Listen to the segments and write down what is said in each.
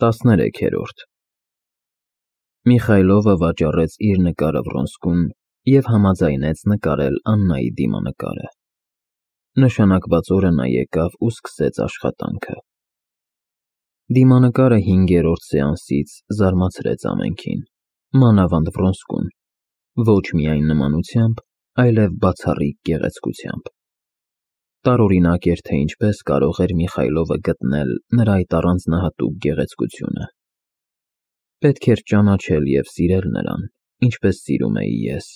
13-րդ Միխայլովը վաճառեց իր նկարը Վրոնսկուն և համաձայնեց նկարել Աննայի դիմանկարը։ Նշանակված օրը նա եկավ ու սկսեց աշխատանքը։ Դիմանկարը 5-րդ սեանսից զարմացրեց ամենքին, մանավանդ Վրոնսկուն, ոչ միայն նմանությամբ, այլև բացառիկ գեղեցկությամբ։ Տարօրինակ էր, թե ինչպես կարող էր Միխայլովը գտնել նրա այդ առանձնահատուկ գեղեցկությունը։ Պետք էր ճանաչել և սիրել նրան, ինչպես սիրում էի ես,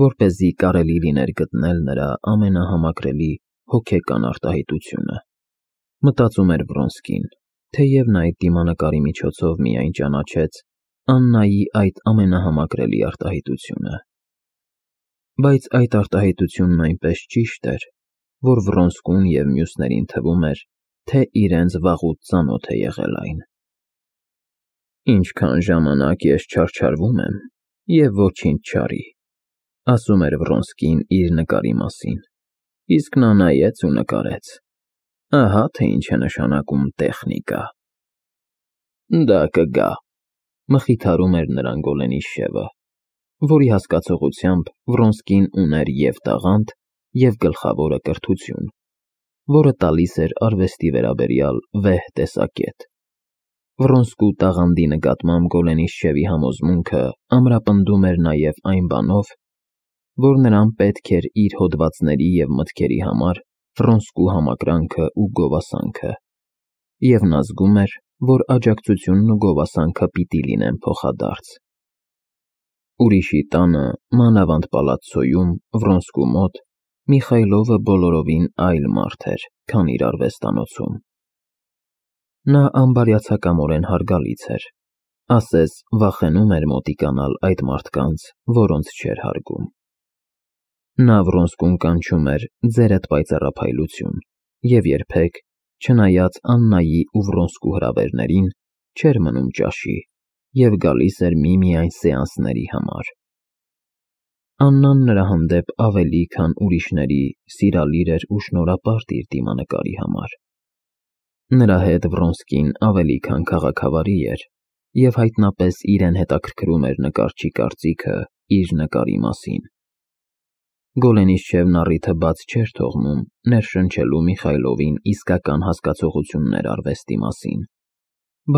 որպեսզի կարելի լիներ գտնել նրա ամենահամակրելի հոգեկան արտահայտությունը, մտածում էր Վրոնսկին, թեև նա այդ դիմանկարի միջոցով միայն ճանաչեց Աննայի այդ ամենահամակրելի արտահայտությունը։ Բայց այդ արտահայտությունն այնպես ճիշտ էր, որ Վրոնսկուն և մյուսներին թվում էր, թե իրենց վաղուց ծանոթ է եղել այն։ «Ինչքան ժամանակ ես չարչարվում եմ, և ոչինչ չարի», ասում էր Վրոնսկին իր նկարի մասին, իսկ նա նայեց ու նկարեց։ Ահա թե ինչ է նշանակում տեխնիկա։ «Դա կգա», մխիթարում էր նրան Գոլենիշևը, որի հասկացողությամբ Վրոնսկին ուներ և տաղանդ, և գլխավորը կրթություն, որը տալիս էր արվեստի վերաբերյալ վեհ տեսակետ։ Վրոնսկու տաղանդի նկատմամբ Գոլենիշևի համոզմունքը ամրապնդում էր նաև այն բանով, որ նրան պետք էր իր հոդվածների և մտքերի համար Վրոնսկու համակրանքը ու գովասանքը, և նա զգում էր, որ աջակցությունն ու գովասանքը պիտի լինեն փոխադարձ։ Ուրիշի տանը, մանավանդ պալացցոյում, Վրոնսկու մոտ, Միխայլովը բոլորովին այլ մարդ էր, քան իր արվեստանոցում։ Նա անբարյացակամորեն հարգալից էր, ասես վախենում էր մոտիկանալ այդ մարդկանց, որոնց չէր հարգում։ Նա Վրոնսկուն կանչում էր «ձերդ պայծառափայլություն» և երբեք, չնայած Աննայի ու Վրոնսկու հրավերներին, չէր մնում ճաշի և գալիս էր միմիայն սեանսների համար։ Աննան նրա հանդեպ ավելի, քան ուրիշների, սիրալիր էր ու շնորհապարտ իր դիմանկարի համար։ Նրա հետ Վրոնսկին ավելի քան քաղաքավարի էր, և հայտնապես իրեն հետաքրքրում էր նկարչի կարծիքը իր նկարի մասին։ Գոլենիշևն առիթը բաց չէր թողնում ներշնչելու Միխայլովին իսկական հասկացողություններ արվեստի մասին,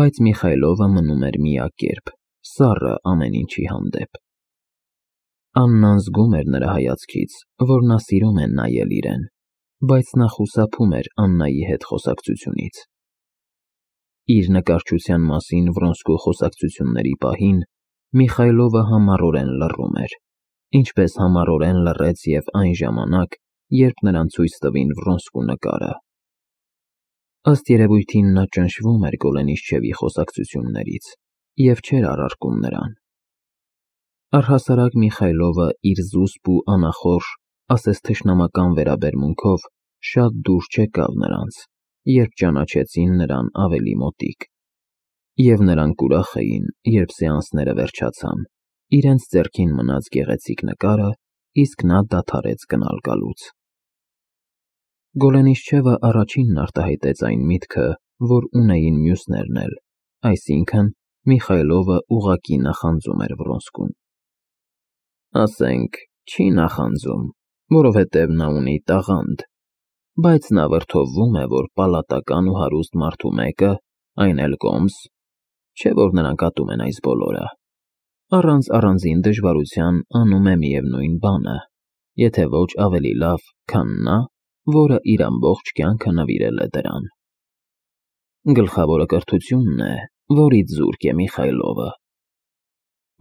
բայց Միխայլովը մնում էր միակերպ, սառը ամեն ինչի հանդեպ։ Աննան զգում էր նրա հայացքից, որ նա սիրում է նայել իրեն, բայց նա խուսափում էր Աննայի հետ խոսակցությունից։ Իր նկարչության մասին Վրոնսկու խոսակցությունների պահին Միխայլովը համառորեն լռում էր, ինչպես համառորեն լռեց և այն ժամանակ, երբ նրան ցույց տվին Վրոնսկու նկարը։ Ըստ երևույթին նա ճնշվում էր Գոլենիշևի խոսակցություններից և չէր առարկում նրան։ Առհասարակ Միխայլովը իր զուսպ ու անախորժ, ասես թշնամական վերաբերմունքով շատ դուր չեկավ նրանց, երբ ճանաչեցին նրան ավելի մոտիկ, և նրանք ուրախ էին, երբ սեանսները վերջացան, իրենց ձեռքին մնաց գեղեցիկ նկարը, իսկ նա դադարեց գնալ գալուց։ Գոլենիշևը առաջինն արտահայտեց այն միտքը, որ ունեին մյուսներն էլ, այսինքն Միխայլովը ուղղակի նախանձում էր Վրոնսկուն։ Ասենք, չի նախանձում, որովհետև նա ունի տաղանդ, բայց նա վրդովվում է, որ պալատական ու հարուստ մարդու մեկը, այն էլ կոմս, չէ՞ որ նրանք ատում են այս բոլորը, առանց առանձին դժվարության անում է միևնույն բանը, եթե ոչ ավելի լավ, քան նա, որը իր ամբողջ կյանքը նվիրել է դրան։ Գլխավորը կրթությունն է, որից զուրկ է Միխայլովը։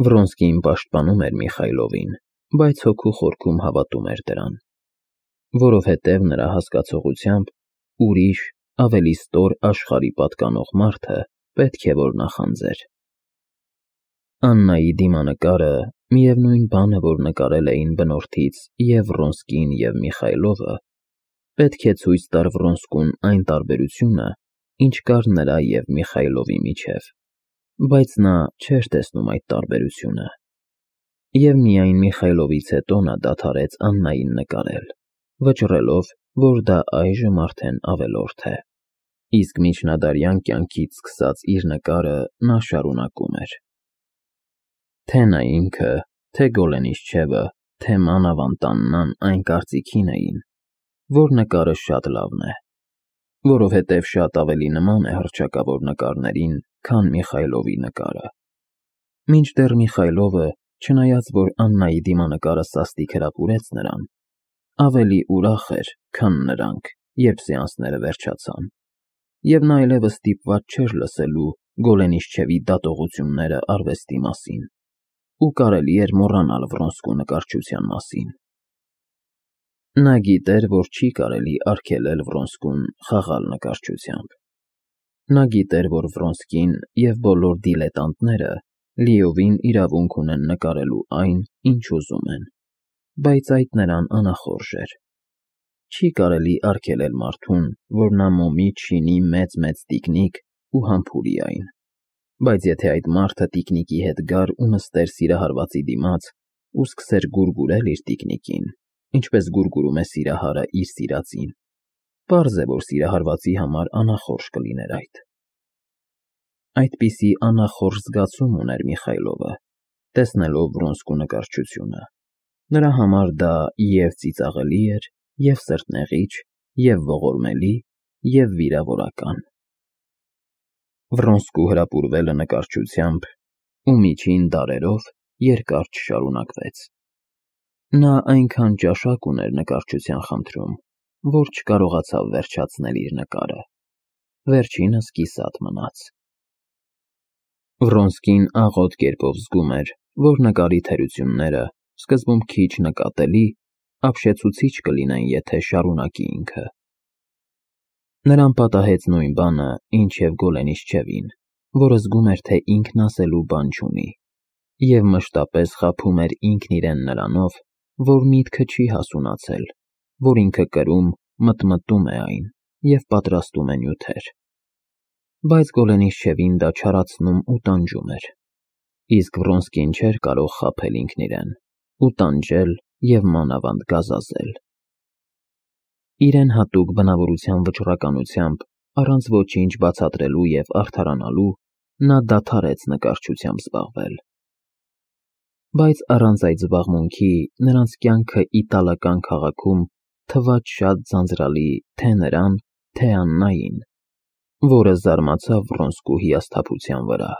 Վրոնսկին պաշտպանում էր Միխայլովին, բայց հոգու խորքում հավատում էր դրան, որովհետև նրա հասկացողությամբ ուրիշ, ավելի ստոր աշխարհի պատկանող մարդը պետք է որ նախանձեր։ Աննայի դիմանկարը, միևնույն բանը, որ նկարել էին բնորդից և Վրոնսկին և Միխայլովը, պետք է ցույց տար Վրոնսկուն այն տարբերությունը, ինչ կար նրա և Միխայլովի միջև, բայց նա չէր տեսնում այդ տարբերությունը։ Եվ միայն Միխայլովից հետո նա դադարեց Աննային նկարել, վճռելով, որ դա այժմ արդեն ավելորդ է։ իսկ միջնադարյան կյանքից սկսած իր նկարը նա շարունակում էր. Թե նա ինքը, թե Գոլենիսչևը, թե մանավանդ այն կարծիքին էին, որ նկարը շատ լավն է, որովհետև շատ ավելի նման է հռչակավոր նկարներին, քան Միխայլովի նկարը։ Մինչդեռ Միխայլովը, չնայած որ Աննայի դիմանկարը սաստիկ հրապուրեց նրան, ավելի ուրախ էր, քան նրանք, երբ սեանսները վերջացան, և նա այլևս ստիպված չէր լսելու Գոլենիսչևի դատողությունները արվեստի մասին, ու կարելի էր մոռանալ Վրոնսկու նկարչության մասին։ Նա գիտեր, որ չի կարելի արգելել Վրոնսկուն խաղալ նկարչությամբ։ Նա գիտեր, որ Վրոնսկին և բոլոր դիլետանտները լիովին իրավունք ունեն նկարելու այն, ինչ ուզում են, բայց այդ նրան անախորժ էր։ Չի կարելի արգելել մարդուն, որ նա մոմից շինի մեծ տիկնիկ ու համբուրի այն, բայց եթե այդ մարդը տիկնիկի հետ գար ու նստեր սիրահարվածի դիմաց ու սկսեր գուրգուրել իր տիկնիկին, ինչպես գուրգուրում է սիրահարը իր սիրածին, պարզ է, որ սիրահարվածի համար անախորժ կլիներ այդ։ Այդպիսի անախորժ զգացում ուներ Միխայլովը, տեսնելով Վրոնսկու նկարչությունը։ Նրա համար դա և ծիծաղելի էր, և սրտնեղիչ, և ողորմելի, և վիրավորական։ Վրոնսկու հրապուրվելը նկարչությամբ ու միջին դարերով երկար չշարունակվեց։ Նա այնքան ճաշակ ուներ նկարչության խնդրում, որ չկարողացավ վերջացնել իր նկարը։ Վերջինս կիսատ մնաց։ Վրոնսկին աղոտ կերպով զգում էր, որ նկարի թերությունները, սկզբում քիչ նկատելի, ապշեցուցիչ կլինեն, եթե շարունակի ինքը։ Նրան պատահեց նույն բանը, ինչ և Գոլենիսչևին, որը զգում էր, թե ինքն ասելու բան չունի, և մշտապես խաբում էր ինքն իրեն նրանով, որ միտքը չի հասունացել, որ ինքը կրում, մտմտում է այն և պատրաստում է նյութեր։ Բայց Գոլենիսչևին դա չարացնում ու տանջում էր, իսկ Վրոնսկին չէր կարող խաբել ինքն իրեն ու տանջել և մանավանդ գազազել։ Իրեն հատուկ բնավորության վճռականությամբ, առանց ոչինչ բացատրելու և արդարանալու, նա դադարեց նկարչությամբ զբաղվել։ Բայց առանց այդ զբաղմունքի նրանց կյանքը իտալական քաղաքում թվաց շատ ձանձրալի թե նրան, թե Աննային, որը զարմացավ Վրոնսկու հիասթափության վրա։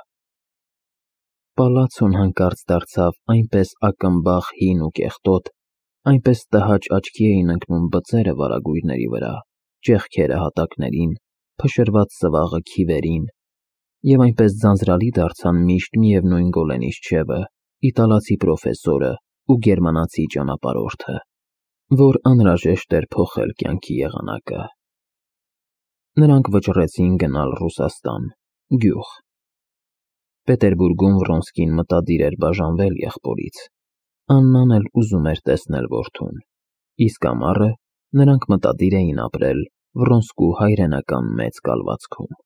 Պալացոն հանկարծ դարձավ այնպես ակմբախ հին ու կեղտոտ, այնպես տհաճ աչքի էին ընկնում բծերը վարագույրների վրա, ճեղքերը հատակներին, փշրված սվաղը քիվերին, և այնպես ձանձրալի դարձան միշտ միևնույն Գոլենիսչևը, իտալացի պրոֆեսորը ու գերմանացի ճանապարհորդը, որ անհրաժեշտ էր փոխել կյանքի եղանակը։ Նրանք վճռեցին գնալ Ռուսաստան, գյուղ։ Պետերբուրգում Վրոնսկին մտադիր էր բաժանվել եղբորից։ Աննան էլ ուզում էր տեսնել որդուն, իսկ ամառը նրանք մտադիր էին ապրել Վրոնսկու հայրենական մեծ կալվածքում։